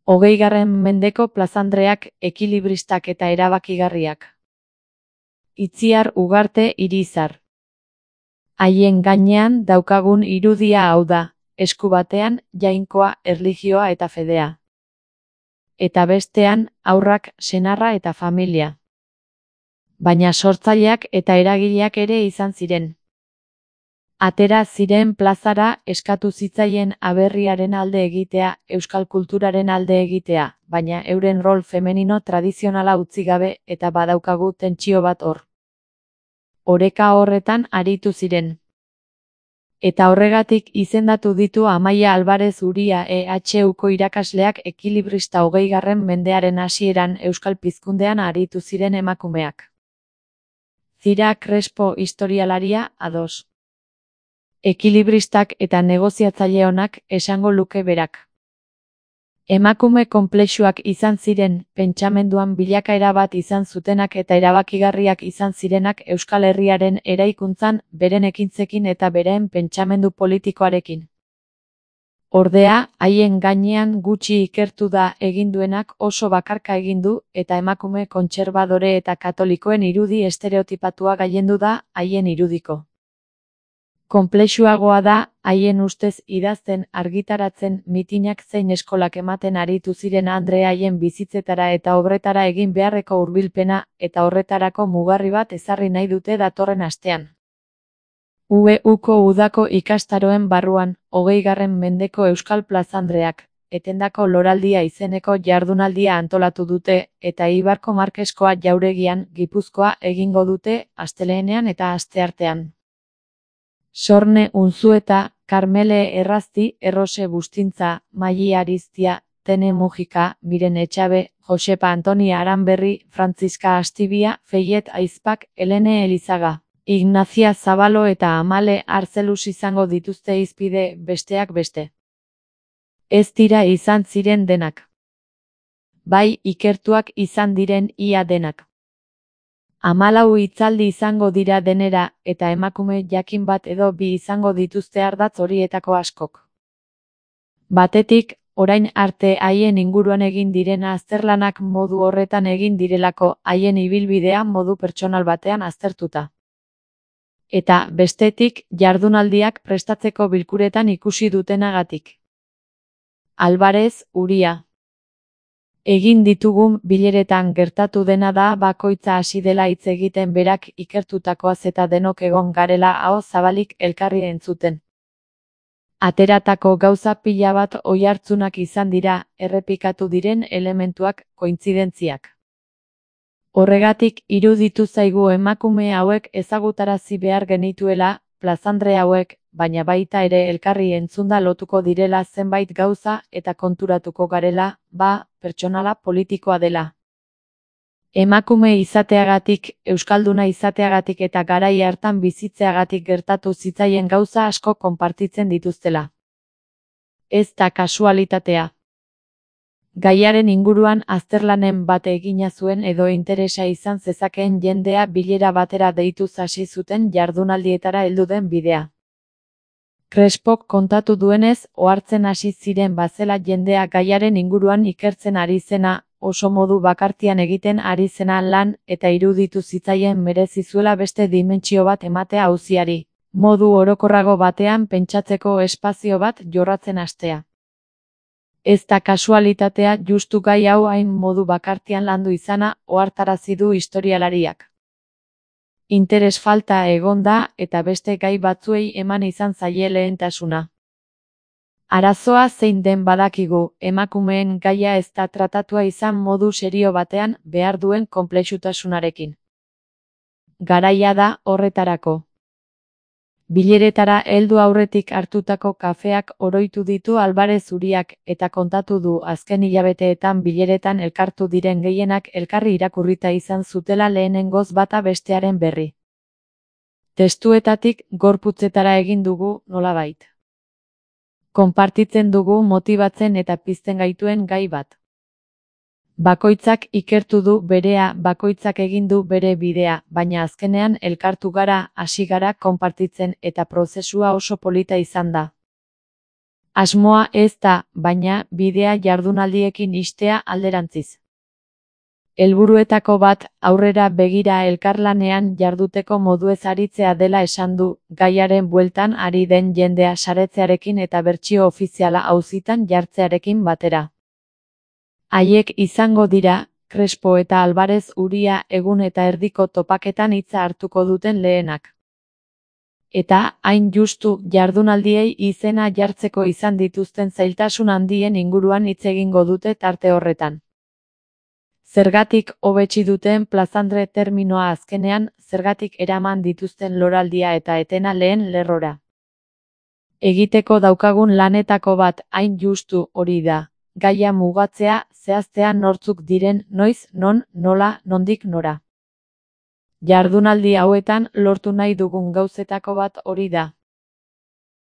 20. mendeko plazandreak, ekilibristak eta erabakigarriak. Itziar Ugarte Irizar. Haien gainean daukagun irudia hau da, esku batean jainkoa, erlijioa eta fedea. Eta bestean, haurrak, senarra eta familia. Baina sortzaileak eta eragileak ere izan ziren. Atera ziren plazara eskatu zitzaien aberriaren alde egitea, euskal kulturaren alde egitea, baina euren rol femenino tradizionala utzi gabe eta badaukagu tentsio bat hor. Oreka horretan aritu ziren. Eta horregatik izendatu ditu Amaia Alvarez Uria EHUko irakasleak ekilibrista 20. mendearen hasieran euskal pizkundean aritu ziren emakumeak. Zira Crespo historialaria, ados. Ekilibristak eta negoziatzaile onak esango luke berak. Emakume konplexuak izan ziren, pentsamenduan bilakaera bat izan zutenak eta erabakigarriak izan zirenak Euskal Herriaren eraikuntzan, beren ekintzekin eta beren pentsamendu politikoarekin. Ordea, haien gainean gutxi ikertu da egin duenak oso bakarka egin du eta emakume kontserbadore eta katolikoen irudi estereotipatua gailendu da haien irudiko. Konplexuagoa da, haien ustez idazten, argitaratzen, mitinak zein eskolak ematen aritu ziren andre haien bizitzetara eta obretara egin beharreko hurbilpena, eta horretarako mugarri bat ezarri nahi dute datorren astean. UEUko udako ikastaroen barruan, 20. mendeko Euskal Plazandreak, etendako loraldia izeneko jardunaldia antolatu dute, eta Ibarko Markeskoa jauregian, Gipuzkoa egingo dute, astelehenean eta asteartean. Sorne Unzueta, Karmele Errazti, Errose Bustintza, Maili Ariztia, Tene Mujika, Miren Etxabe, Josepa Antonia Aranberri, Frantziska Astibia, Feiet Aizpak, Elene Elizaga, Ignazia Zabalo eta Amale Arzelus izango dituzte hizpide, besteak beste. Ez dira izan ziren denak. Bai, ikertuak izan diren ia denak. 14 hitzaldi izango dira denera, eta emakume jakin bat edo bi izango dituzte ardatz horietako askok. Batetik, orain arte haien inguruan egin direna azterlanak modu horretan egin direlako, haien ibilbidea modu pertsonal batean aztertuta. Eta, bestetik, jardunaldiak prestatzeko bilkuretan ikusi dutenagatik. Alvarez Uria. Egin ditugun bileretan gertatu dena da bakoitza hasi dela hitz egiten berak ikertutakoaz eta denok egon garela aho zabalik elkarri entzuten. Ateratako gauza pila bat oihartzunak izan dira, errepikatu diren elementuak, kointzidentziak. Horregatik iruditu zaigu emakume hauek ezagutarazi behar genituela, plazandre hauek, baina baita ere elkarri entzunda lotuko direla zenbait gauza eta konturatuko garela, pertsonala politikoa dela. Emakume izateagatik, euskalduna izateagatik eta garai hartan bizitzeagatik gertatu zitzaien gauza asko konpartitzen dituztela. Ez da kasualitatea. Gaiaren inguruan azterlanen bat egina zuen edo interesa izan zezakeen jendea bilera batera deituz hasi zuten jardunaldietara heldu den bidea. Crespok kontatu duenez, ohartzen hasi ziren bazela jendea gaiaren inguruan ikertzen ari zena, oso modu bakartian egiten ari zena lan, eta iruditu zitzaien merezi zuela beste dimentsio bat ematea auziari, modu orokorrago batean pentsatzeko espazio bat jorratzen hastea. Ez da kasualitatea justu gai hau hain modu bakartian landu izana, ohartarazi du historialariak. Interes falta egon da eta beste gai batzuei eman izan zaie lehentasuna. Arazoa zein den badakigu, emakumeen gaia ez da tratatua izan modu serio batean behar duen konplexutasunarekin. Garaia da horretarako. Bileretara heldu aurretik hartutako kafeak oroitu ditu Alvarez Uriak eta kontatu du azken hilabeteetan bileretan elkartu diren gehienak elkarri irakurrita izan zutela lehenengoz bata bestearen berri. Testuetatik gorputzetara egin dugu nolabait. Konpartitzen dugu motibatzen eta pizten gaituen gai bat. Bakoitzak ikertu du berea, bakoitzak egin du bere bidea, baina azkenean elkartu gara, hasi gara konpartitzen eta prozesua oso polita izan da. Asmoa ez da, baina, bidea jardunaldiekin ixtea alderantziz. Helburuetako bat, aurrera begira elkarlanean jarduteko moduez aritzea dela esan du, gaiaren bueltan ari den jendea saretzearekin eta bertsio ofiziala auzitan jartzearekin batera. Haiek izango dira, Crespo eta Alvarez Uria egun eta erdiko topaketan hitza hartuko duten lehenak. Eta, hain justu, jardunaldiei izena jartzeko izan dituzten zailtasun handien inguruan hitz egingo dute tarte horretan. Zergatik hobetsi duten plazandre terminoa azkenean, zergatik eraman dituzten loraldia eta etena lehen lerrora. Egiteko daukagun lanetako bat hain justu hori da, gaia mugatzea, zehaztea nortzuk diren, noiz, non, nola, nondik nora. Jardunaldi hauetan lortu nahi dugun gauzetako bat hori da.